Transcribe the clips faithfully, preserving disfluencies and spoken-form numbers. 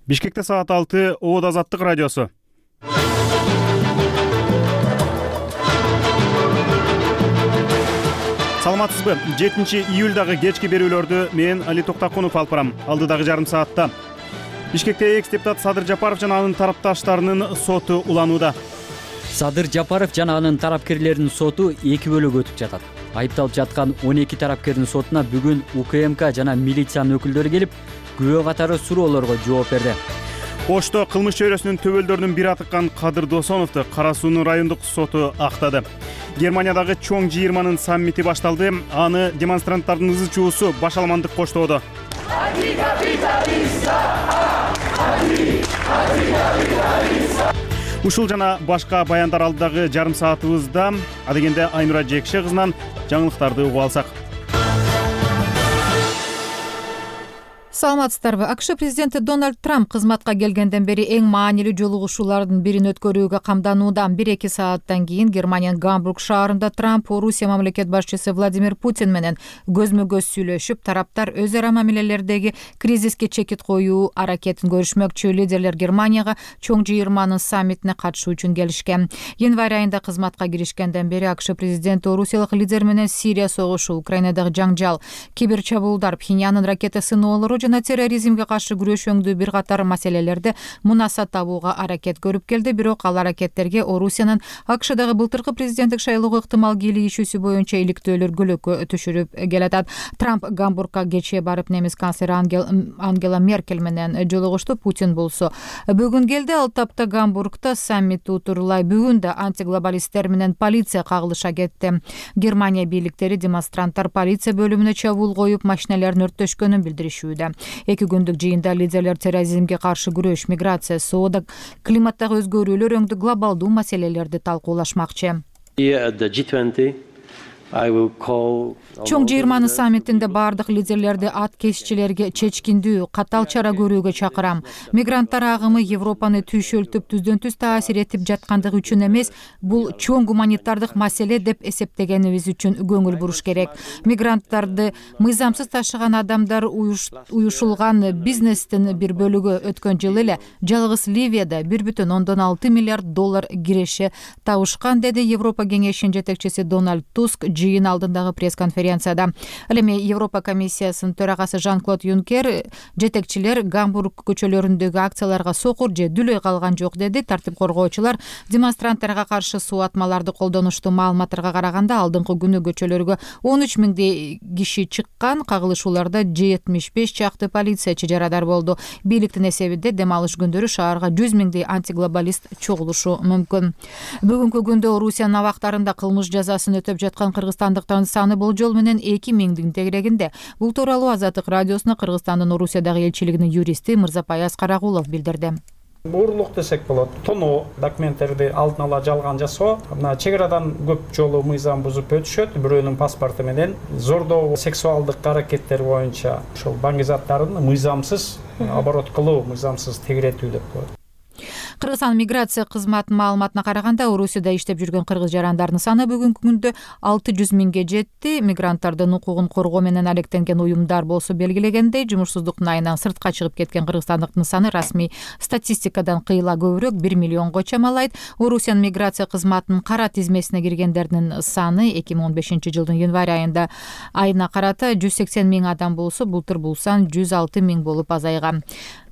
Бишкекте саат алты, Обод Азаттык радиосу. Саламатсызбы? жетинчи июлдагы кечки берүүлөрдү мен Али Токтакунов алып барам. Алдыдагы жарым саатта Бишкекте экс-депутат Садыр Жапаров жана анын тарапташтарынын соту уланууда. Садыр Жапаров жана анын тарапкерлеринин соту эки бөлүккө өтүп жатат. Айыпталып жаткан он эки тарапкердин сотуна бүгүн УКМК жана милициянын өкүлдөрү келип, күбө катары суроолорго жооп берди. Ошто кылмыш чөйрөсүнүн төбөлдөрүнүн бири атыккан Кадыр Досоновду Кара Суунун райондук соту актады. Германиядагы чоң жыйырманын саммити башталды. Аны демонстранттардын ызы чуусу башаламандык коштоодо. Ушул жана башка баяндар алдыдагы жарым саатыбызда. Адегенде Айнура Жекше кызынан жаңылыктарды угуп алсак. Саламатсыздарбы? АКШ президенти Дональд Трамп кызматка келгенден бери эң маанилүү жолугушуулардын бирин өткөрүүгө камданууда. бир-эки сааттан кийин Германиянын Гамбург шаарында Трамп Орусия мамлекет башчысы Владимир Путин менен көзмө-көз сүйлөшүп, тараптар өз ара мамилелердеги кризиске чекит коюу аракетин көрүшмөкчү. Лидерлер Германияга чоң жыйырманын саммитине катышуу үчүн келишкен. Январь айында кызматка киришкенден бери АКШ президенти орусиялык лидер менен Сирия согушу, Украинадагы жаңжал, кибер чабуулдар, Пхеньяндын ракета сыноолору жана терроризмге каршы күрөшөңдүү бир катар маселелерде мунасат табууга аракет көрүп келди. Бирок ал аракеттерге Орусиянын АКШдагы былтыркы президенттик шайлоого ыктымал кийлигишүүсү боюнча иликтөөлөр көлөккө түшүрүп келатат. Трамп Гамбургка кечээ барып немис канцлери Ангел, Ангела Меркель менен жолугушту. Путин болсо бүгүн келди. Ал тапта Гамбургда саммит утурлай. Бүгүн да антиглобалисттер менен полиция кагылыша кетти. Германия бийликтери демонстранттар полиция бөлүмүнө чабуул коюп, машиналарын өрттөшкөнүн билдиришүүдө. Эки күндүк жыйында лидерлер терроризмге каршы күрөш, миграция, соода, климаттагы өзгөрүүлөр өңдүү глобалдуу маселелерди талкуулашмакчы. Чоң жыйырманын саммитинде бардык лидерлерди ат кесчилерге чечкиндүү, катал чара көрүүгө чакырам. Мигранттар агымы Европаны түйшөлтүп, түздөн түз таасир этип жаткандыгы үчүн эмес, бул чоң гуманитардык маселе деп эсептегенибиз үчүн көңүл буруш керек. Мигранттарды мыйзамсыз ташыган адамдар уюшулган бизнестин бир бөлүгү өткөн жылы эле жалгыз Ливияда бир бүтүн ондон алты миллиард доллар киреше табышкан, деди Европа кеңешинин жетекчиси Дональд Туск жыйын алдындагы пресс-конференцияда. Ал эми Европа комиссиясынын төрагасы Жан-Клод Юнкер жетекчилер Гамбург көчөлөрүндөгү акцияларга сокур же дүлөй калган жок, деди. Тартип коргоочулар демонстранттарга каршы суу атмаларды колдонушту. Маалыматтарга караганда алдыңкы күнү көчөлөргө он үч миңдей киши чыккан. Кагылышууларда жетимиш беш чакты полициячы жарадар болду. Бийликтин эсебинде дем алыш күндөрү шаарга жүз миңдей антиглобалист чогулушу мүмкүн. Бүгүнкү күндө Орусиянын абактарында кылмыш жазасын өтөп жаткан кыргызстандыктардын саны болжол менен эки миңдин тегерегинде. Бул тууралуу Азаттык радиосуна Кыргызстандын Орусиядагы элчилигинин юристи Мырзапай Аскарагулов билдирди. Уурулук десек болот. Тоноо документтерди алдын ала жалган жасоо, мына чек арадан көп жолу мыйзам бузуп өтүшөт. Бирөөнүн паспорту менен зордоо, сексуалдык аракеттер боюнча ошол баңги заттарын мыйзамсыз оборот кылуу, мыйзамсыз тегеретүү деп коет. Кыргызстан миграция кызматынын маалыматына караганда, Орусияда иштеп жүргөн кыргыз жарандардын саны бүгүнкү күндө алты жүз миңге жетти. Мигранттардын укугун коргоо менен алектенген уюмдар болсо белгилегендей, жумушсуздуктун айынан сыртка чыгып кеткен кыргызстандыктын саны расмий статистикадан кыйла көбүрөөк бир миллионго чамалайт. Орусиянын миграция кызматынын кара тизмесине киргендердин саны эки миң он бешинчи жылдын январь айында айына карата жүз сексен миң адам болсо, былтыр бул сан жүз алты миң болуп азайган.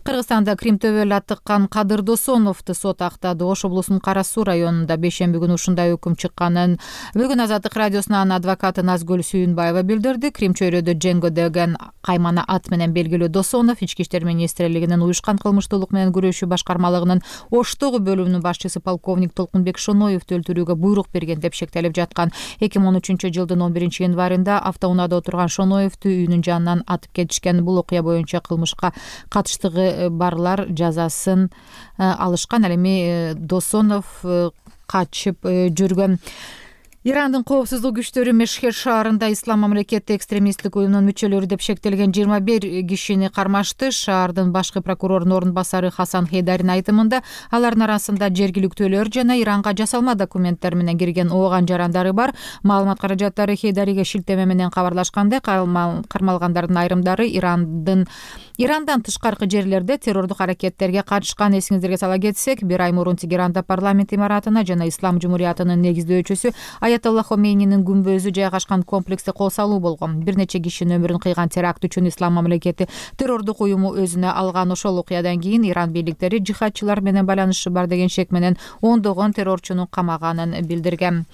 Кыргызстанда Крим төбөл атыккан Кадыр Досоновду сот актады. Ош облусунун Кара Суу районунда бейшемби күнү ушундай өкүм чыкканын бүгүн Азаттык радиосуна анын адвокаты Назгүл Сүйүнбаева билдирди. Крим чөйрөдө Дженго деген каймана ат менен белгилүү Досонов Ички иштер министрлигинин уюшкан кылмыштуулук менен күрөшүү башкармалыгынын Оштогу бөлүмүнүн башчысы полковник Толкунбек Шоноевду өлтүрүүгө буйрук берген деп шектелип жаткан. эки миң он үчүнчү жылдын он биринчи январында автоунаада отурган Шоноевду үйүнүн жанынан атып кетишкен. Бул окуя боюнча кылмышка катыштыгы барлар жазасын алышкан. Ал эми Досонов качып жүргөн. Ирандын коопсуздук күчтөрү Мешхед шаарында ислам мамлекети экстремисттик уюмунун мүчөлөрү деп шектелген жыйырма бир кишини кармашты. Шаардын башкы прокурорунун орун басары Хасан Хейдарин айтымында алардын арасында жергиликтүүлөр жана Иранга жасалма документтер менен кирген ооган жарандары бар. Маалымат каражаттары Хейдариге шилтеме менен кабарлашкандай, кармалгандардын айрымдары Ирандын Ирандан тышкаркы жерлерде террордук аракеттерге катышкан. Эсиңиздерге сала кетсек, бир ай мурун Тегеранда парламент имаратына жана Ислам жумуриятынын негиздөөчүсү Аятолла Хомейнинин күмбөзү жайгашкан комплексте кол салуу болгон. Бир нече кишинин өмүрүн кыйган теракт үчүн ислам мамлекети террордук уюму өзүнө алган ошол окуядан кийин Иран бийликтери жихадчылар менен байланышы бар деген шек менен ондогон террорчуну камаганын билдирген.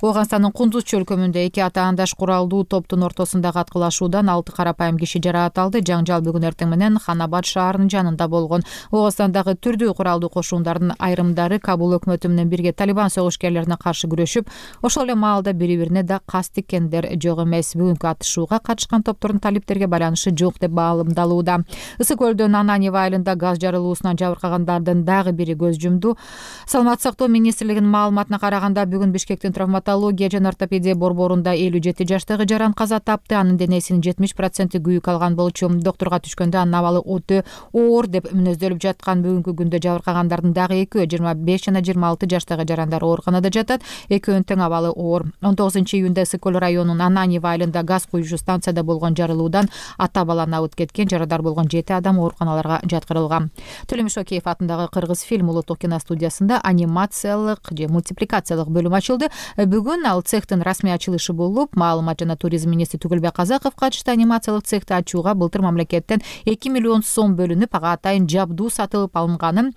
Ооганстандын Кундуз чөлкөмүндө эки атаандаш куралдуу топтун ортосундагы аткылашуудан алты карапайым киши жаракат алды. Жаңжал бүгүн эртең менен Ханабад шаарынын жанында болгон. Ооганстандагы түрдүү куралдуу кошундардын айрымдары Кабул өкмөтү менен бирге Талибан согушкерлерине каршы күрөшүп, ошол эле маалда бири-бирине да кас тиккендер жок эмес. Бүгүнкү атышууга катышкан топтордун талиптерге байланышы жок деп баалымдалууда. Ысык көлдөн Ананьево айылында газ жарылуусунан жабыркагандардын дагы бири көз жумду. Саламаттык сактоо министрлигинин маалыматына караганда, бүгүн Бишкектин травматология жана ортопедия борборунда элүү жети жаштагы жаран каза тапты. Анын денесинин жетимиш проценти күйүк алган болчу. Доктурга түшкөндө анын абалы өтө оор деп мүнөздөлүп жаткан. Бүгүнкү күндө жабыркагандардын дагы экөө жыйырма беш жана жыйырма алты жаштагы жарандар ооруканада жатат. Экөөнүн тең абалы оор. он тогузунчу июнда Ысык көл районунун Ананьево айылында газ куюучу станцияда болгон жарылуудан ата баланы абыт кеткен. Жарадар болгон жети адам ооруканаларга жаткырылган. Төлөмүш Океев атындагы Кыргыз фильм улуттук киностудиясында анимациялык же мультипликациялык бөлүм ачылды. Бүгүн ал цехтин расмий ачылышы болуп, маалымат жана туризм министри Түгүлбек Казаков катышты. Анимациялык цехти ачууга былтыр мамлекеттен эки миллион сом бөлүнүп, ага атайын жабдуу сатылып алынганын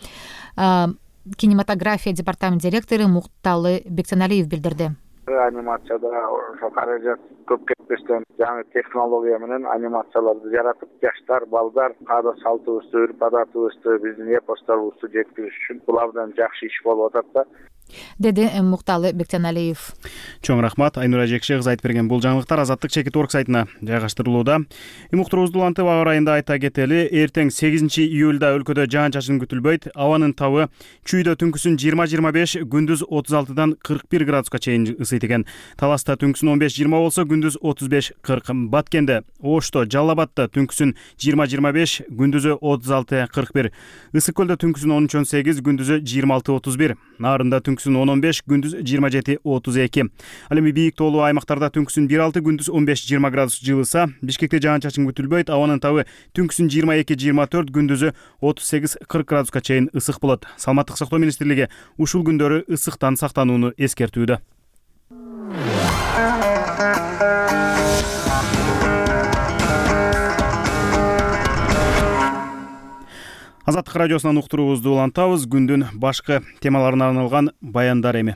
кинематография департамент директору Мукталы Бектеналиев билдирди. Анимацияда ошо каражат көп кетпестен жаңы технология менен анимацияларды жаратып, жаштар, балдар каада салтыбызды, үрп адатыбызды, биздин эпосторубузду жеткириш үчүн бул абдан жакшы иш болуп атат да, деди Мукталы Бектеналиев. Чоң рахмат. Айнура Жекше кызы айтып берген бул жаңылыктар Азаттык чекит орг сайтына жайгаштырылууда. Уктуруубузду улантып, аба ырайында айта кетели. Эртең сегизинчи июлда өлкөдө жаан-чачын күтүлбөйт. Абанын табы чүйдө түнкүсүн жыйырма жыйырма беш, күндүз отуз алтыдан кырк бир градуска чейин ысыйт экен. Таласта түнкүсүн он беш жыйырма болсо, күндүз отуз беш кырк. Баткенде, Ошто, Жалал Абадта түнкүсүн жыйырма жыйырма беш, күндүзү отуз алты кырк бир. Ысык көлдө түнкүсүн он үч он сегиз, күндүзү жыйырма алты отуз бир. Нарында түнкүсүн он он беш, күндүз жыйырма жети отуз эки. Ал эми бийик тоолуу аймактарда түнкүсүн бир алты, күндүз он беш жыйырма градус жылыса. Бишкекте жаан-чачын күтүлбөйт. Абанын табы түнкүсүн жыйырма эки жыйырма төрт, күндүзү отуз сегиз кырк градуска чейин ысык болот. Саламаттык сактоо министрлиги ушул күндөрү ысыктан сактанууну эскертүүдө. Азаттык радиосунан уктуруубузду улантабыз. Күндүн башкы темаларына арналган баяндар эми.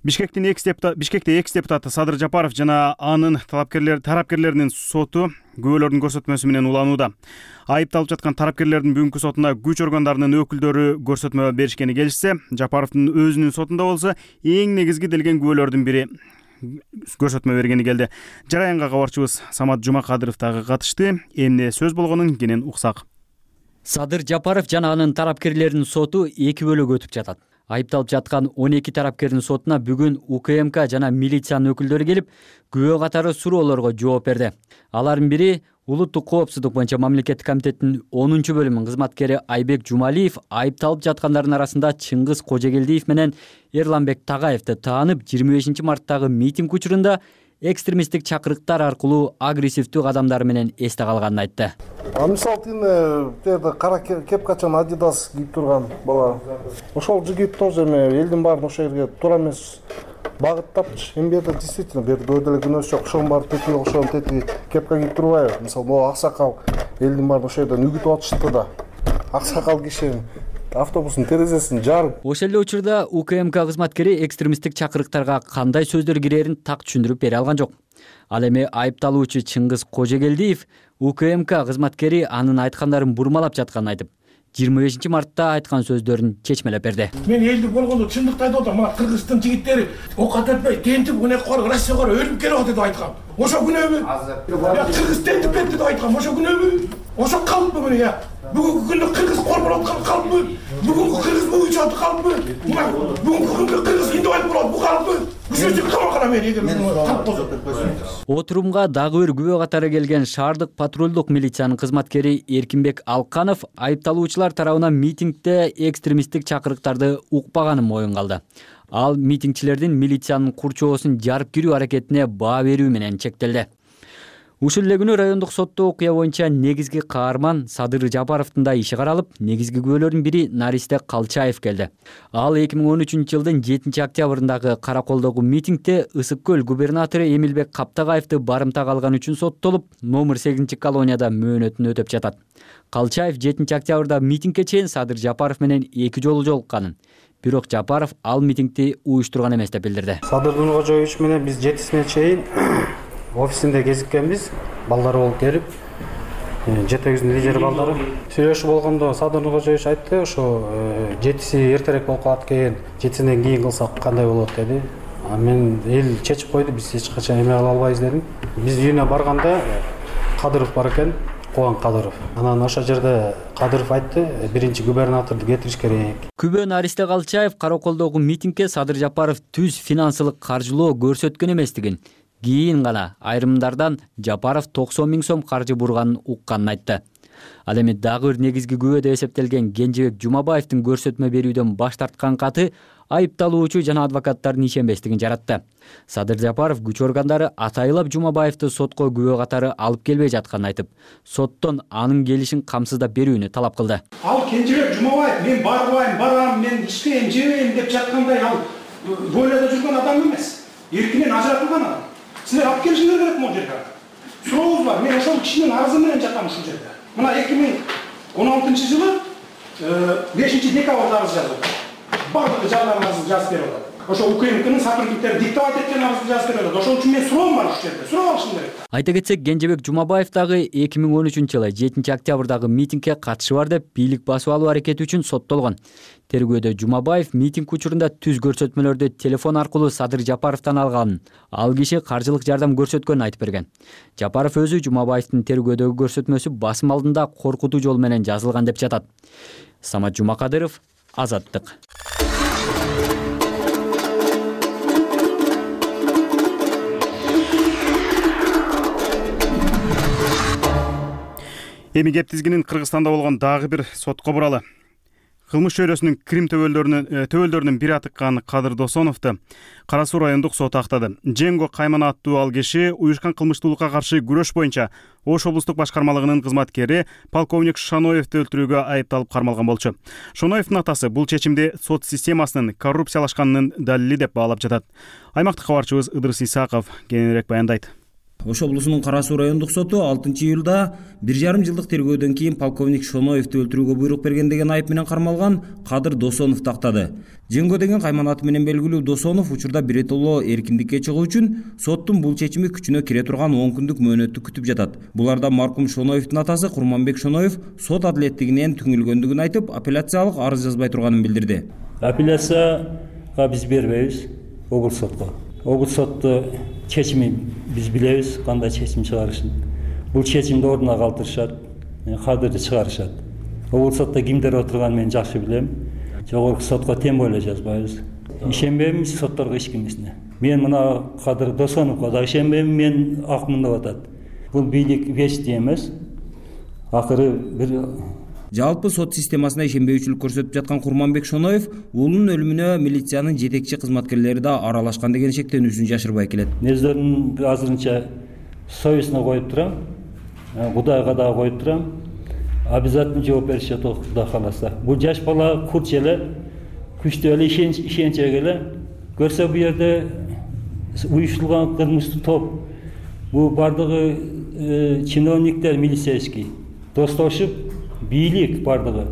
Бишкектин экс депутат, Бишкекте экс депутаты Садыр Жапаров жана анын талапкерлер тарапкерлеринин соту күбөлөрдүн көрсөтмөсү менен уланууда. Айыпталып жаткан тарапкерлердин бүгүнкү сотуна күч органдарынын өкүлдөрү көрсөтмө беришкени келишсе, Жапаровдун өзүнүн сотунда болсо эң негизги делген күбөлөрдүн бири көрсөтмө бергени келди. Жараянга кабарчыбыз Самат Жумакадыров дагы катышты. Эмне сөз болгонун кенен уксак. Садыр Жапаров жана анын тарапкерлеринин соту эки бөлүгү өтүп жатат. Айыпталып жаткан он эки тарапкердин сотуна бүгүн УКМК жана милициянын өкүлдөрү келип, күбө катары суроолорго жооп берди. Алардын бири улуттук коопсуздук боюнча мамлекеттик комитеттин онунчу бөлүмүнүн кызматкери Айбек Жумалиев айыпталып жаткандардын арасында Чыңгыз Кожогелдиев менен Эрланбек Тагаевди таанып, жыйырма бешинчи марттагы митинг учурунда экстремисттик чакырыктар аркылуу агрессивдүү кадамдар менен эсте калганын айтты. Мисалы тине теде кара кепкачан Adidas кийип турган бала. Ошол жигит тоже эми элдин баарын ошол жерге туура эмес багыттапчы. Эми бу жерде действительно бу жерде өйдө эле күнөөсү жок. Ошонун баары тетиги ошонун тетиги кепка кийип турбайбы? Мисалы могу аксакал элдин баарын ошол жерден үгүтүп атышты да. Аксакал киши автобустун терезесин жарып. Ошол эле учурда УКМК кызматкери экстремисттик чакырыктарга кандай сөздөр кирерин так түшүндүрүп бере алган жок. Ал эми айыпталуучу Чыңгыз Кожогелдиев УКМК кызматкери анын айткандарын бурмалап жатканын айтып, жыйырма бешинчи мартта айткан сөздөрүн чечмелеп берди. Мен элди болгондо чындыкты айтып атам. Мына Кыргыздын жигиттери окат этпей, тентип, уне кор, Россияга өлүп келип атат деп айткан. ошо күнөбү? Я кыргыз тентип кетти деп айткан ошо күнөбү? Ошо калппы мына я? Бүгүнкү күндө кыргыз корболуп аткан калппы? Бүгүнкү кыргыз буюнча калппы? Мына бүгүнкү күндө кыргыз индивайт болот бу калппы? Ушунчу камакана мен эгер калп болсо. Отурумга дагы бир күбө катары келген шаардык патрулдук милициянын кызматкери Эркинбек Алканов айыпталуучулар тарабынан митингде экстремисттик чакырыктарды укпаганын моюнга алды. Ал митингчилердин милициянын курчоосун жарып кирүү аракетине баа берүү менен чектелди. Ушул эле күнү райондук сотто окуя боюнча негизги каарман Садыр Жапаровдун да иши каралып, негизги күбөлөрдүн бири Наристе Калчаев келди. Ал эки миң он үчүнчү жылдын жетинчи октябрындагы Караколдогу митингде Ысык көл губернатору Эмилбек Каптагаевди барымтага алган үчүн соттолуп, номер сегизинчи колонияда мөөнөтүн өтөп жатат. Калчаев жетинчи октябрда митингге чейин Садыр Жапаров менен эки жолу жолукканын, бирок Жапаров ал митингди уюштурган эмес деп билдирди. Садыр Нуркожоевич менен биз жетисине чейин офисинде кезиккенбиз, балдары болуп келип, жетегиздин лидери балдары. Сүйлөшүп болгондо Садыр Нуркожоевич айтты, ошо жетиси эртерээк болуп калат экен, жетисинен кийин кылсак кандай болот деди. А мен эл чечип койду, биз эч качан эме кыла албайбыз дедим. Биз үйүнө барганда Кадыров бар экен, Кубан Кадыров. Анан ошол жерде Кадыров айтты, биринчи губернаторду кетириш керек. Күбө Наристе Калчаев Караколдогу митингге Садыр Жапаров түз финансылык каржылоо көрсөткөн эместигин, кийин гана айрымдардан Жапаров токсон миң сом каржы бурганын укканын айтты. Ал эми дагы бир негизги күбө деп эсептелген Кенжебек Жумабаевдин көрсөтмө берүүдөн баш тарткан каты айыпталуучу жана адвокаттардын ишенбестигин жаратты. Садыр Жапаров күч органдары атайылап Жумабаевди сотко күбө катары алып келбей жатканын айтып, соттон анын келишин камсыздап берүүнү талап кылды. Ал Кенжебек Жумабаев мен барбайм, барам, мен иштейм, жебейм деп жаткандай ал бойлоодо жүргөн адам эмес. Эркинен ажыратылган адам. Силер алып келишиңер керек могу жерге. Сурообуз бар. Мен ошол кишинин арызы менен жатам ушул жерде. Мына эки миң он алтынчы жылы бешинчи декабрда арыз жазылды. Бардыгы жарларын арызын жазып берип атат. Ошо УКМКнын сотрудниктери диктовать эткен арызды жазып берип атат. Ошол үчүн мен суроом бар ушул жерде. Суроо алышым керек. Айта кетсек, Кенжебек Жумабаев дагы эки миң он үчүнчү жылы жетинчи октябрдагы митингге катышы бар деп бийлик басып алуу аракети үчүн соттолгон. Тергөөдө Жумабаев митинг учурунда түз көрсөтмөлөрдү телефон аркылуу Садыр Жапаровдон алганын, ал киши каржылык жардам көрсөткөнүн айтып берген. Жапаров өзү Жумабаевдин тергөөдөгү көрсөтмөсү басым алдында коркутуу жол менен жазылган деп жатат. Самат Жумакадыров, Азаттык. Эми кеп тизгинин Кыргызстанда болгон дагы бир сотко буралы. Кылмыш чөйрөсүнүн Крим төбөлдөрүнүн төбөлдөрүнүн бири атыккан Кадыр Досоновду Кара Суу райондук соту актады. Женго Кайман аттуу ал киши уюшкан кылмыштуулукка каршы күрөш боюнча Ош облустук башкармалыгынын кызматкери полковник Шаноевди өлтүрүүгө айыпталып кармалган болчу. Шоноевдин атасы бул чечимди сот системасынын коррупциялашканынын далили деп баалап жатат. Аймактык кабарчыбыз Ыдырыс Исаков кененирээк баяндайт. Ош облусунун Кара Суу райондук соту алтынчы июлда бир жарым жылдык тергөөдөн кийин полковник Шоноевди өлтүрүүгө буйрук берген деген айып менен кармалган Кадыр Досоновду актады. Женго деген кайман аты менен белгилүү Досонов учурда биротоло эркиндикке чыгуу үчүн соттун бул чечими күчүнө кире турган он күндүк мөөнөттү күтүп жатат. Буларда маркум Шоноевдин атасы Курманбек Шоноев сот адилеттигинен түңүлгөндүгүн айтып, апелляциялык арыз жазбай турганын билдирди. Апелляцияга биз бербейбиз облус сотко. Облус сотто чечими биз билебиз, кандай чечим чыгарышын. Бул чечимди ордуна калтырышат, кадырды чыгарышат. Облус сотто кимдер отурганын мен жакшы билем. Жогорку сотко тем более жазбайбыз. Ишенбеймиз сотторго эч кимисине. Мен мына Кадыр Досоновго да ишенбейм, мен акмын деп атат. Бул бийлик вечный эмес. Акыры бир Жалпы сот системасына ишенбейчүлүк көрсөтүп жаткан Курманбек Шоноев уулунун өлүмүнө милициянын жетекчи кызматкерлери да аралашкан деген шектенүүсүн жашырбай келет. Нездерин азырынча совестине коюп турам, Кудайга да коюп турам. Обязательно жооп беришет Кудай кааласа. Бул жаш бала курч эле, күчтүү эле, ишенчек эле. Көрсө бу жерде уюштурулган кылмыштуу топ, бул бардыгы чиновниктер милицейский достошуп, бийлик бардыгы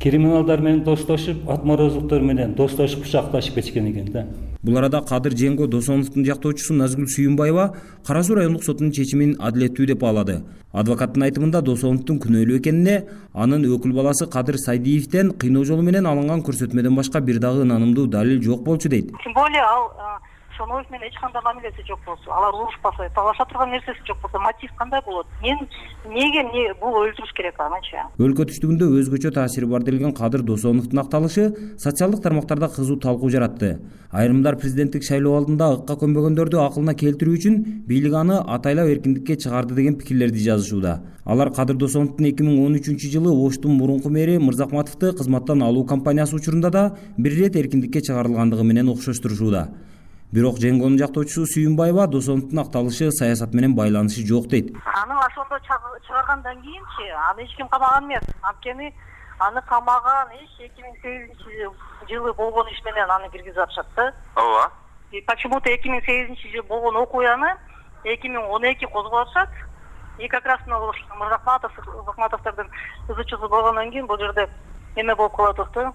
криминалдар менен достошуп, атморозлуктар менен достошуп бычакташып кеткен экен да. Бул арада Кадыр Женго Досоновдун жактоочусу Назгүл Сүйүнбаева Кара Суу райондук сотунун чечимин адилеттүү деп баалады. Адвокаттын айтымында Досоновдун күнөөлүү экенине, анын өкүл баласы Кадыр Сайдиевден кыйноо жолу менен алынган көрсөтмөдөн башка бир дагы ынанымдуу далил жок болчу дейт. Тем более ал Шоноев менен эч кандай мамилеси жок болсо, алар урушпаса, талаша турган нерсеси жок болсо, мотив кандай болот? Мен эмнеге эмне бул өлтүрүш керек анычы? Өлкө түштүгүндө өзгөчө таасири бар делген Кадыр Досоновдун акталышы социалдык тармактарда кызуу талкуу жаратты. Айрымдар президенттик шайлоо алдында ыкка көнбөгөндөрдү акылына келтирүү үчүн бийлик аны атайлап эркиндикке чыгарды деген пикирлерди жазышууда. Алар Кадыр Досоновдун эки миң он үчүнчү жылы Оштун мурунку мэри Мырзахматовду кызматтан алуу кампаниясы учурунда да бир ирет эркиндикке чыгарылгандыгы менен окшоштурушууда. Бирок Жеңгонун жактоочусу Сүйүнбаева Досоновдун акталышы саясат менен байланышы жок дейт. Аны ошондо чыгаргандан кийинчи аны эч ким камаган эмес. Анткени аны камаган иш эки миң сегизинчи жылы болгон иш менен аны киргизип атышат да. Ооба. И почему-то эки миң сегизинчи жылы болгон окуяны эки миң он эки козгоп атышат. И как раз Мырзахматов, Мырзахматовдун ызычысы болгондон кийин бул жерде эме болуп калат да.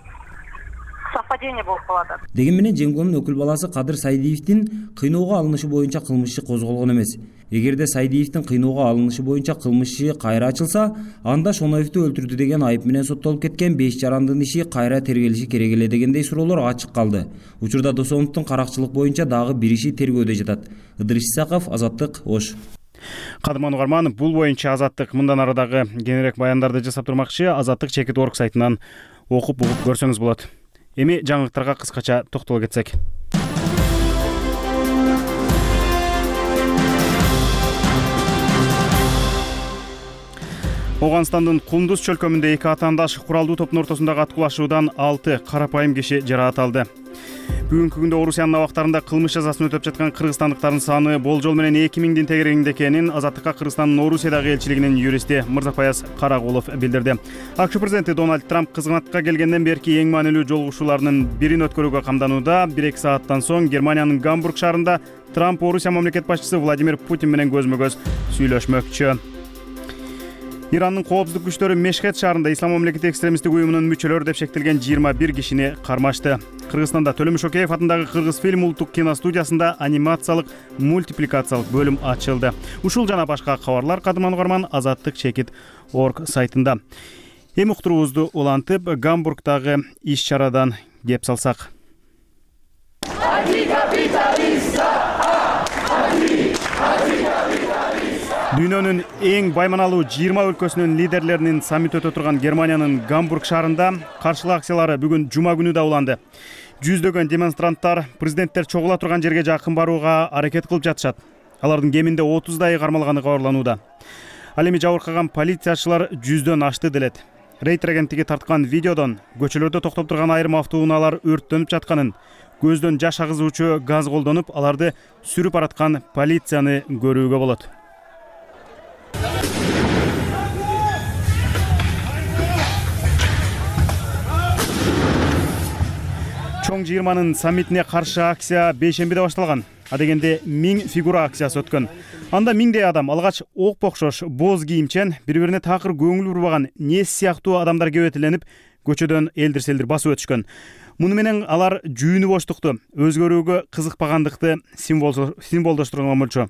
Совпадение болуп калат. Деген менен Жеңгонун өкүл баласы Кадыр Сайдиевдин кыйноого алынышы боюнча кылмыш иши козголгон эмес. Эгерде Сайдиевдин кыйноого алынышы боюнча кылмыш иши кайра ачылса, анда Шоноевду өлтүрдү деген айып менен соттолуп кеткен беш жарандын иши кайра тергелиши керек эле дегендей суроолор ачык калды. Учурда Досоновдун каракчылык боюнча дагы бир иши тергөөдө жатат. Ыдырыш Исаков, Азаттык, Ош. Кадырман Угарман, бул боюнча Азаттык мындан ары дагы кененирээк баяндарды жасап турмакчы. Азаттык чекит орг сайтынан окуп угуп көрсөңүз болот. Эми жаңылыктарга кыскача токтоло кетсек. Оганстандын Кундуз чөлкөмүндө эки атаандаш куралдуу топтун ортосундагы аткылашуудан алты карапайым киши жаракат алды. Бүгүнкү күндө Орусиянын абактарында кылмыш жазасын өтөп жаткан кыргызстандыктардын саны болжол менен эки миңдин тегерегинде экенин Азаттыкка Кыргызстандын Орусиядагы элчилигинин юристи Мырзапаяз Карагулов билдирди. АКШ президенти Дональд Трамп кызматка келгенден берки эң маанилүү жолугушууларынын бирин өткөрүүгө камданууда. бир эки сааттан соң Германиянын Гамбург шаарында Трамп Орусия мамлекет башчысы Владимир Путин менен көзмө-көз сүйлөшмөкчү. Ирандын коопсуздук күчтөрү Мешхед шаарында Ислам мамлекети экстремисттик уюмунун мүчөлөрү деп шектелген жыйырма бир кишини кармашты. Кыргызстанда Төлөмүш Океев атындагы Кыргызфильм улуттук киностудиясында анимациялык мультипликациялык бөлүм ачылды. Ушул жана башка кабарлар Кадырман Угарман Азаттык чекит орг сайтында. Эми уктуруубузду улантып, Гамбургдагы иш-чарадан кеп салсак. Дүйнөнүн эң байманалуу жыйырма өлкөсүнүн лидерлеринин саммити өтө турган Германиянын Гамбург шаарында каршылык акциялары бүгүн жума күнү да уланды. Жүздөгөн демонстранттар президенттер чогула турган жерге жакын барууга аракет кылып жатышат. Алардын кеминде отуздай кармалганы кабарланууда. Ал эми жабыркаган полициячылар жүздөн ашты делет. Рейтер агенттиги тарткан видеодон көчөлөрдө токтоп турган айрым автоунаалар өрттөнүп жатканын, көздөн жаш агызуучу газ колдонуп, аларды сүрүп бараткан полицияны көрүүгө болот. Чоң жыйырманын саммитине каршы акция бейшембиде башталган. Адегенде миң фигура акциясы өткөн. Анда миңдей адам алгач ок окшош боз кийимчен, бири-бирине такыр көңүл бурбаган нес сыяктуу адамдар кебетиленип, көчөдөн элдир-селдир басып өтүшкөн. Муну менен алар жүйүнү боштукту, өзгөрүүгө кызыкпагандыкты символдоштурган болчу.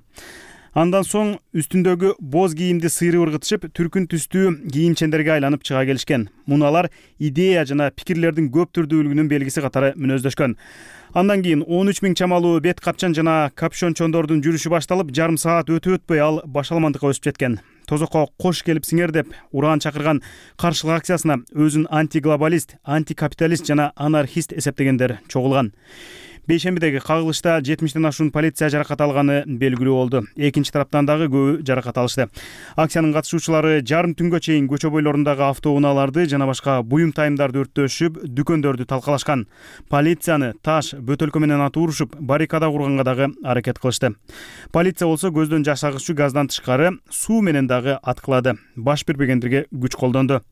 Андан соң үстүндөгү боз кийимди сыйрып ыргытышып, түркүн түстүү кийимчендерге айланып чыга келишкен. Муну алар идея жана пикирлердин көп түрдүүлүгүнүн белгиси катары мүнөздөшкөн. Андан кийин он үч миң чамалуу бет капчан жана капюшончондордун жүрүшү башталып, жарым саат өтүп өтпөй ал башаламандыкка өсүп жеткен. Тозокко кош келип сиңер деп ураан чакырган каршылык акциясына өзүн антиглобалист, антикапиталист жана анархист эсептегендер чогулган. Бейшембидеги кагылышта жетимиштен ашуун полиция жаракат алганы белгилүү болду. Экинчи тараптан дагы көбү жаракат алышты. Акциянын катышуучулары жарым түнгө чейин көчө бойлорундагы автоунааларды жана башка буюм тайымдарды өрттөшүп, дүкөндөрдү талкалашкан. Полицияны таш, бөтөлкө менен атып урушуп, баррикада курганга дагы аракет кылышты. Полиция болсо көздөн жаш агызчу газдан тышкары суу менен дагы аткылады. Баш бербегендерге күч колдонду.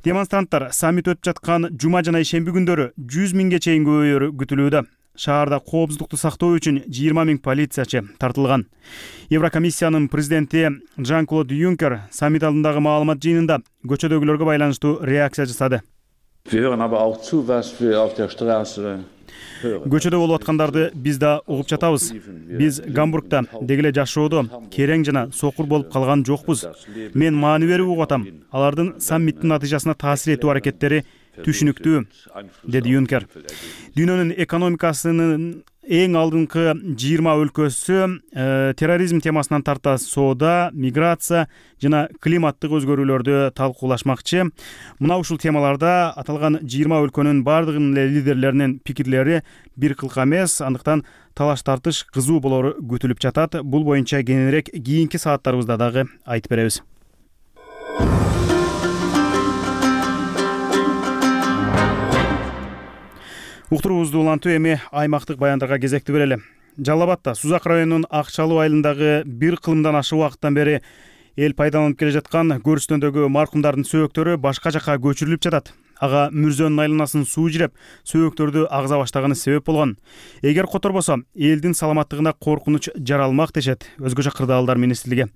Демонстранттар саммит өтүп жаткан жума жана ишемби күндөрү жүз миңге чейин көбөйөрү күтүлүүдө. Шаарда коопсуздукту сактоо үчүн жыйырма миң полициячы тартылган. Еврокомиссиянын президенти Жан-Клод Юнкер саммит алдындагы маалымат жыйынында көчөдөгүлөргө байланыштуу реакция жасады. Көчөдө болуп аткандарды биз да угуп жатабыз. Биз Гамбургда дегеле жашоодо керең жана сокур болуп калган жокпуз. Мен маани берип угуп атам. Алардын саммиттин натыйжасына таасир этүү аракеттери түшүнүктүү, деди Юнкер. Дүйнөнүн экономикасынын эң алдыңкы жыйырма өлкөсү терроризм темасынан тарта соода, миграция жана климаттык өзгөрүүлөрдү талкуулашмакчы. Мына ушул темаларда аталган жыйырма өлкөнүн бардыгынын эле лидерлеринин пикирлери бир кылка эмес, андыктан талаш тартыш кызуу болору күтүлүп жатат. Бул боюнча кененирээк кийинки сааттарыбызда дагы айтып беребиз. Уктуруубузду улантуу эми аймактык баяндарга кезекти берели. Жалал Абадта Сузак районунун Акчалуу айылындагы бир кылымдан ашык убакыттан бери эл пайдаланып келе жаткан көрүстөндөгү маркумдардын сөөктөрү башка жакка көчүрүлүп жатат. Ага мүрзөнүн айланасын суу жиреп, сөөктөрдү агза баштаганы себеп болгон. Эгер которбосо, элдин саламаттыгына коркунуч жаралмак дешет Өзгөчө кырдаалдар министрлиги.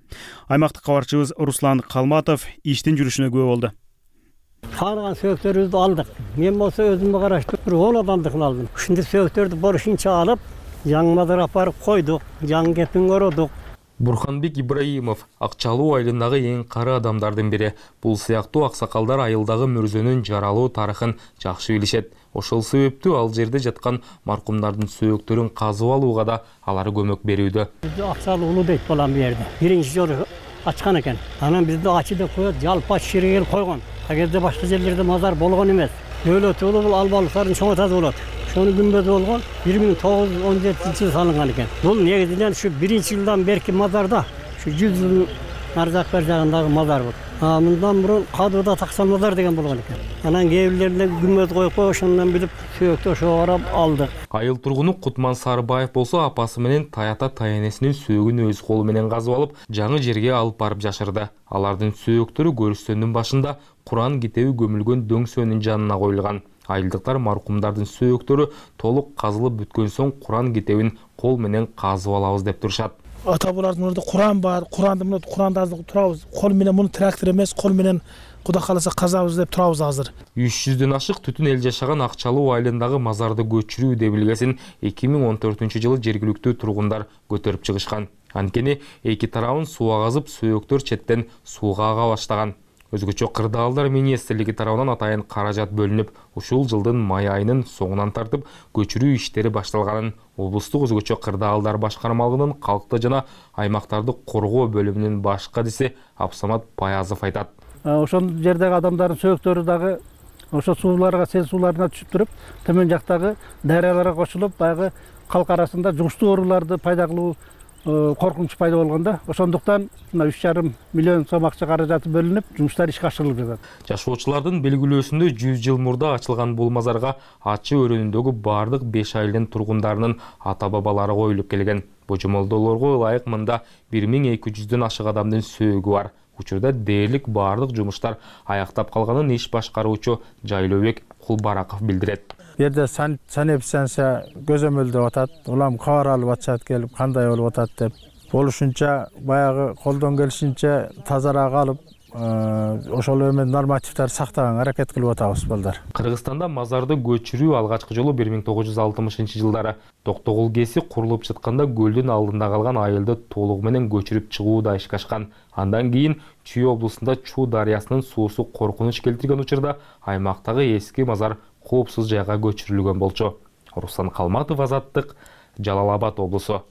Аймактык кабарчыбыз Руслан Калматов иштин жүрүшүнө күбө болду. Калган сөөктөрүбүздү алдык. Мен болсо өзүмө караштуу бир он адамдыкын алдым. Ушундай сөөктөрдү борушунча алып, жаңы мазарга апарып койдук, жаңы кепин кородук. Бурханбек Ибраимов Акчалуу айылындагы эң кары адамдардын бири. Бул сыяктуу аксакалдар айылдагы мүрзөнүн жаралуу тарыхын жакшы билишет. Ошол себептүү ал жерде жаткан маркумдардын сөөктөрүн казып алууга да алар көмөк берүүдө. Акчалуу улуу дейт балам бу жерде. Биринчи жолу ачкан экен. Анан бизди ачы деп коет, жалпа ширегел койгон. Агерде башка жерлерде мазар болгон эмес. Дөөлөт улуу бул албалыктардын чоң атасы болот. Ошонун күмбөзү болгон бир миң тогуз жүз он жетинчи жылы салынган экен. Бул негизинен ушу биринчи жылдан берки мазарда, ушу жүз жылдын ар жак бер жагындагы мазар бул. А мындан мурун Кадырда таксан мазар деген болгон экен. Анан кээ бирлеринде күмбөз коюп коюп ошондон билип сөөктү ошого карап алдык. Айыл тургуну Кутман Сарыбаев болсо апасы менен Таята Таянесинин сөөгүн өз колу менен казып алып, жаңы жерге алып барып жашырды. Алардын сөөктөрү көрүстөндүн башында Куран китеби көмүлгөн дөңсөөнүн жанына коюлган. Айылдыктар маркумдардын сөөктөрү толук казылып бүткөн соң Куран китебин кол менен казып алабыз деп турушат. Ата булардын ордунда Куран бар, Куранды мына Куранда турабыз. Кол менен муну трактор эмес, кол менен Кудай кааласа казабыз деп турабыз азыр. үч жүздөн ашык түтүн эл жашаган Акчалуу айылындагы мазарды көчүрүү демилгесин эки миң он төртүнчү жылы жергиликтүү тургундар көтөрүп чыгышкан. Анткени эки тарабын суу казып, сөөктөр четтен сууга ага баштаган. Өзгөчө кырдаалдар министрлиги тарабынан атайын каражат бөлүнүп, ушул жылдын май айынын соңунан тартып көчүрүү иштери башталганын облустук өзгөчө кырдаалдар башкармалыгынын калкты жана аймактарды коргоо бөлүмүнүн баш кадиси Абсамат Паязов айтат. Ошол жердеги адамдардын сөөктөрү дагы ошо сууларга, сел сууларына түшүп туруп, төмөн жактагы дарыяларга кошулуп, баягы калк арасында жугуштуу ооруларды пайда кылуу коркунуч пайда болгондо, ошондуктан мына үч жарым миллион сом акча каражаты бөлүнүп, жумуштар ишке ашырылып жатат. Жашоочулардын белгилөөсүндө жүз жыл мурда ачылган бул мазарга ачы өрөөнүндөгү бардык беш айылдын тургундарынын ата-бабалары коюлуп келген. Божомолдоолорго ылайык мында бир миң эки жүздөн ашык адамдын сөөгү бар. Учурда дээрлик бардык жумуштар аяктап калганын иш башкаруучу Жайлообек Кулбараков билдирет. Бу жерде санэпидстанция көзөмөлдөп атат. Улам кабар алып атышат келип, кандай болуп атат деп. Болушунча баягы колдон келишинче тазараак алып, ошол эмен нормативдерди сактаганга аракет кылып атабыз балдар. Кыргызстанда мазарды көчүрүү алгачкы жолу бир миң тогуз жүз алтымышынчы жылдары Токтогул КЭСи курулуп жатканда көлдүн алдында калган айылды толугу менен көчүрүп чыгууда ишке ашкан. Андан кийин Чүй облусунда Чуу дарыясынын суусу коркунуч келтирген учурда аймактагы эски мазар коопсуз жайга көчүрүлгөн болчу. Руслан Калматов, Азаттык, Жалал Абад облусу.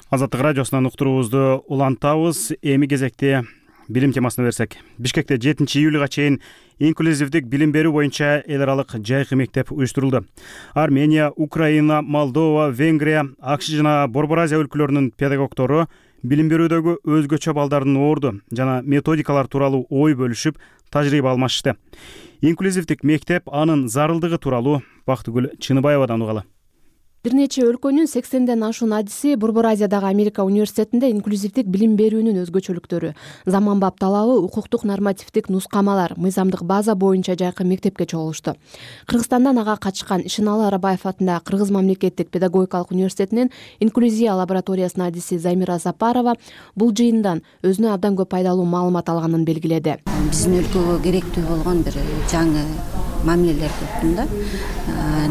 Азаттык радиосунан уктуруубузду улантабыз. Эми кезекте билим темасына берсек. Бишкекте жетинчи июлга чейин инклюзивдик билим берүү боюнча эл аралык жайкы мектеп уюштурулду. Армения, Украина, Молдова, Венгрия, АКШ жана Борбор Азия өлкөлөрүнүн педагогдору билим берүүдөгү өзгөчө балдардын орду жана методикалар тууралуу ой бөлүшүп, тажрыйба алмашты. Инклюзивдик мектеп анын зарылдыгы тууралуу Бактыгүл Чыныбаевадан угалы. Бир нече өлкөнүн сексенден ашуун адиси Борбор Азиядагы Америка университетинде инклюзивдик билим берүүнүн өзгөчөлүктөрү, заманбап талабы, укуктук нормативдик нускамалар, мыйзамдык база боюнча жайкы мектепке чогулушту. Кыргызстандан ага качкан Ишеналы Арабаев атындагы Кыргыз мамлекеттик педагогикалык университетинин инклюзия лабораториясынын адиси Замира Сапарова бул жыйындан өзүнө абдан көп пайдалуу маалымат алганын белгиледи. Биздин өлкөгө керектүү болгон бир жаңы мамилелер көптүн да.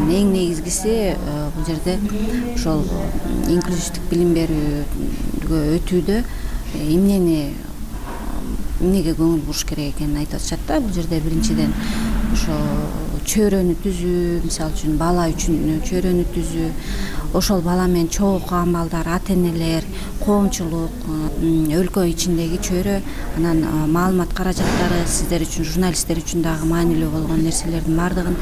Эң негизгиси бул жерде ошол инклюзивдик билим берүүгө өтүүдө эмнени эмнеге көңүл буруш керек экенин айтып атышат да. Бул жерде биринчиден ошо чөйрөнү түзүү, мисалы үчүн бала үчүн чөйрөнү түзүү, ошол бала менен чогуу окуган балдар, ата энелер, коомчулук, өлкө ичиндеги чөйрө, анан маалымат каражаттары сиздер үчүн, журналисттер үчүн дагы маанилүү болгон нерселердин баардыгын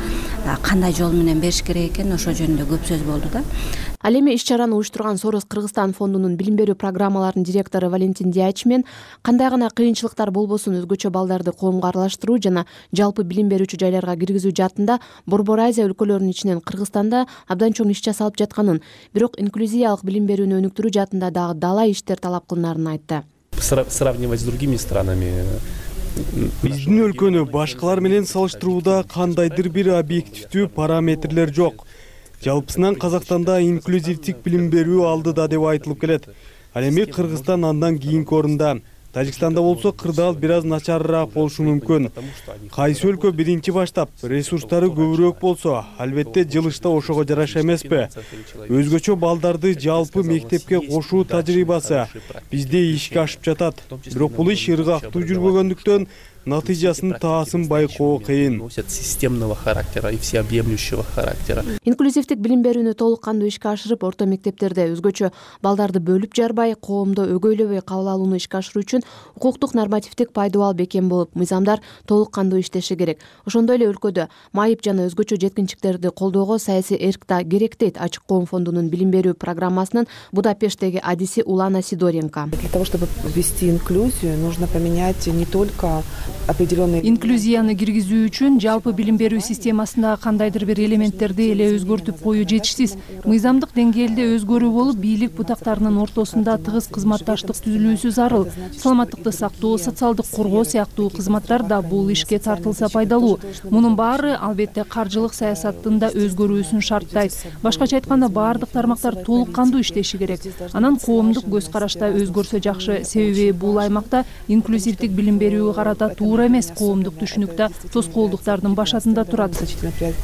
кандай жол менен бериш керек экен, ошол жөнүндө көп сөз болду да. Ал эми иш-чараны уюштурган Сорос Кыргызстан фондунун билим берүү программаларынын директору Валентин Дияч мен кандай гана кыйынчылыктар болбосун өзгөчө балдарды коомго аралаштыруу жана жалпы билим берүүчү жайларга киргизүү жаатында Борбор Азия өлкөлөрүнүн ичинен Кыргызстанда абдан чоң иш жасалып жатканын, бирок инклюзиялык билим берүүнү өнүктүрүү жаатында дагы далай иштер талап кылынаарын айтты. Сравнивать с другими странами. Биздин өлкөнү башкалар менен салыштырууда кандайдыр бир объективдүү параметрлер жок. Жалпысынан Казакстанда инклюзивдик билим берүү алдыда деп айтылып келет. Ал эми Кыргызстан андан кийинки орунда. Тажикстанда болсо кырдаал бир аз начарыраак болушу мүмкүн. Кайсы өлкө биринчи баштап, ресурстары көбүрөөк болсо, албетте жылышта ошого жараша эмеспи. Өзгөчө балдарды жалпы мектепке кошуу тажрыйбасы бизде ишке ашып жатат. Бирок бул иш ыргактуу жүрбөгөндүктөн натыйжасын таасын байкоо кыйын. Системного характера и всеобъемлющего характера. Инклюзивдик билим берүүнү толук кандуу ишке ашырып, орто мектептерде өзгөчө балдарды бөлүп жарбай, коомдо өгөйлөбөй кабыл алууну ишке ашыруу үчүн укуктук нормативдик пайдубал бекем болуп, мыйзамдар толук кандуу иштеши керек. Ошондой эле өлкөдө майып жана өзгөчө жеткинчектерди колдоого саясий эрк да керек дейт Ачык коом фондунун билим берүү программасынын Будапешттеги адиси Улана Сидоренко. Для того, чтобы ввести инклюзию, нужно поменять не только инклюзияны киргизүү үчүн жалпы билим берүү системасындагы кандайдыр бир элементтерди эле өзгөртүп коюу жетишсиз. Мыйзамдык деңгээлде өзгөрүү болуп, бийлик бутактарынын ортосунда тыгыз кызматташтык түзүлүүсү зарыл. Саламаттыкты сактоо, социалдык коргоо сыяктуу кызматтар да бул ишке тартылса пайдалуу. Мунун баары албетте каржылык саясаттын да өзгөрүүсүн шарттайт. Башкача айтканда, баардык тармактар толук кандуу иштеши керек. Анан коомдук көз карашта өзгөрсө жакшы, себеби бул аймакта инклюзивдик билим берүүгө карата туура эмес коомдук түшүнүктө тоскоолдуктардын башатында турат.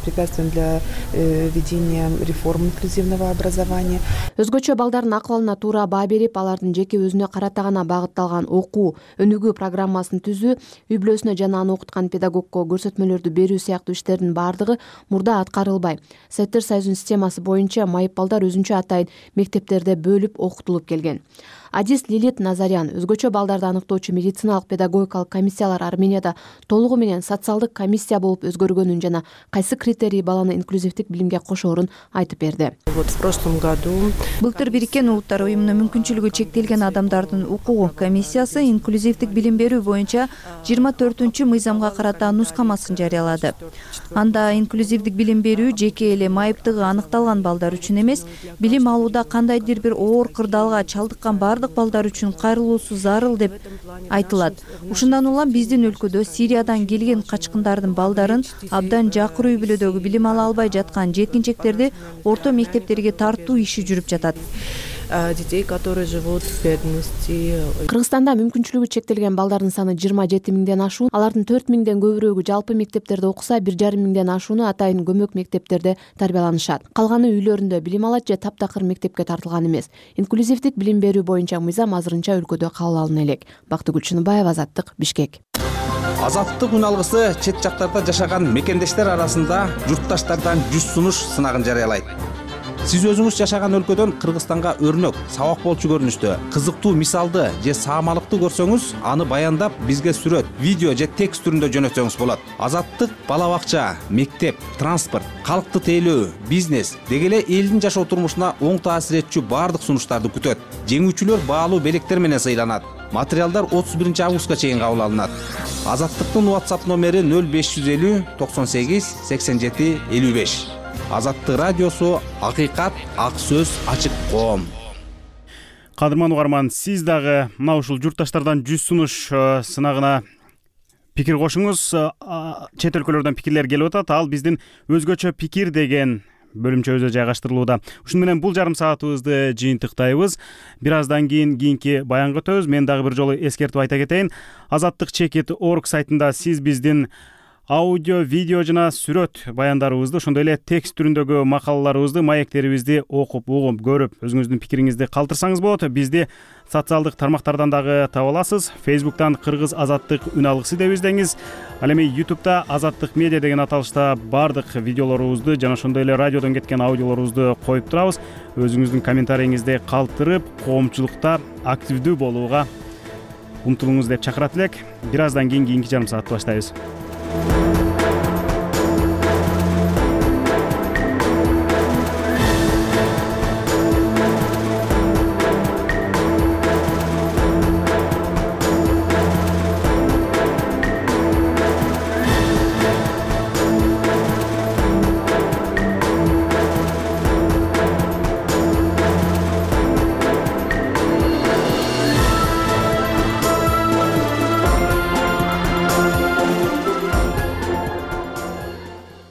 Препятствием для введения реформ инклюзивного образования. Өзгөчө балдардын акыбалына туура баа берип, алардын жеке өзүнө карата гана багытталган окуу, өнүгүү программасын түзүү, үй бүлөсүнө жана аны окуткан педагогко көрсөтмөлөрдү берүү сыяктуу иштердин баардыгы мурда аткарылбай. Советтер Союзунун системасы боюнча майып балдар өзүнчө атайын мектептерде бөлүп окутулуп келген. Адис Лилит Назарян өзгөчө балдарды аныктоочу медициналык педагогикалык комиссиялар Арменияда толугу менен социалдык комиссия болуп өзгөргөнүн жана кайсы критерий баланы инклюзивдик билимге кошоорун айтып берди. Вот в прошлом году Былтыр Бириккен Улуттар уюмунун мүмкүнчүлүгү чектелген адамдардын укугу комиссиясы инклюзивдик билим берүү боюнча жыйырма төртүнчү мыйзамга карата нускамасын жарыялады. Анда инклюзивдик билим берүү жеке эле майыптыгы аныкталган балдар үчүн эмес, билим алууда кандайдыр бир оор кырдаалга чалдыккан баардык балдар үчүн кайрылуусу зарыл деп айтылат. Ушундан улам биздин өлкөдө Сириядан келген качкындардын балдарын абдан жакыр үй бүлөдөгү билим ала албай жаткан жеткинчектерди орто мектептерге тартуу иши жүрүп жатат. Детей, которые живут в бедности. Кыргызстанда мүмкүнчүлүгү чектелген балдардын саны жыйырма жети миңден ашуун, алардын төрт миңден көбүрөөгү жалпы мектептерде окуса, бир жарым миңден ашууну атайын көмөк мектептерде тарбияланышат. Калганы үйлөрүндө билим алат же таптакыр мектепке тартылган эмес. Инклюзивдик билим берүү боюнча мыйзам азырынча өлкөдө кабыл алына элек. Бактыгүл Чыныбаева, Азаттык, Бишкек. Азаттык үн алгысы чет жактарда жашаган мекендештер арасында журтташтардан жүз сунуш сынагын жарыялайт. Сиз өзүңүз жашаган өлкөдөн Кыргызстанга өрнөк, сабак болчу көрүнүштө, кызыктуу мисалды же саамалыкты көрсөңүз, аны баяндап бизге сүрөт, видео же текст түрүндө жөнөтсөңүз болот. Азаттык бала бакча, мектеп, транспорт, калкты тейлөө, бизнес деги эле элдин жашоо турмушуна оң таасир этчү баардык сунуштарды күтөт. Жеңүүчүлөр баалуу белектер менен сыйланат. Материалдар отуз биринчи августка чейин кабыл алынат. Азаттыктын WhatsApp номери нөл беш жүз элүү токсон сегиз сексен жети элүү беш. Азаттык радиосу, акыйкат, ак сөз, ачык коом. Кадырман угарман, сиз дагы мына ушул журтташтардан жүз сунуш сынагына пикир кошуңуз. Чет өлкөлөрдөн пикирлер келип атат. Ал биздин өзгөчө пикир деген бөлүмчөбүзгө жайгаштырылууда. Ушуну менен бул жарым саатыбызды жыйынтыктайбыз. Бир аздан кийин кийинки баянга өтөбүз. Мен дагы бир жолу эскертип айта кетейин. Азаттык чекит точка орг сайтында сиз биздин аудио, видео жана сүрөт баяндарыбызды, ошондой эле текст түрүндөгү макалаларыбызды, маектерибизди окуп, угуп, көрүп, өзүңүздүн пикириңизди калтырсаңыз болот. Бизди социалдык тармактардан дагы таба аласыз. Фейсбуктан Кыргыз Азаттык үн алгысы деп издеңиз. Ал эми Ютубта Азаттык медиа деген аталышта бардык видеолорубузду жана ошондой эле радиодон кеткен аудиолорубузду коюп турабыз. Өзүңүздүн комментарийиңизди калтырып, коомчулукта активдүү болууга умтулуңуз деп чакырат элек. Бир аздан кийин кийинки жарым саатты баштайбыз.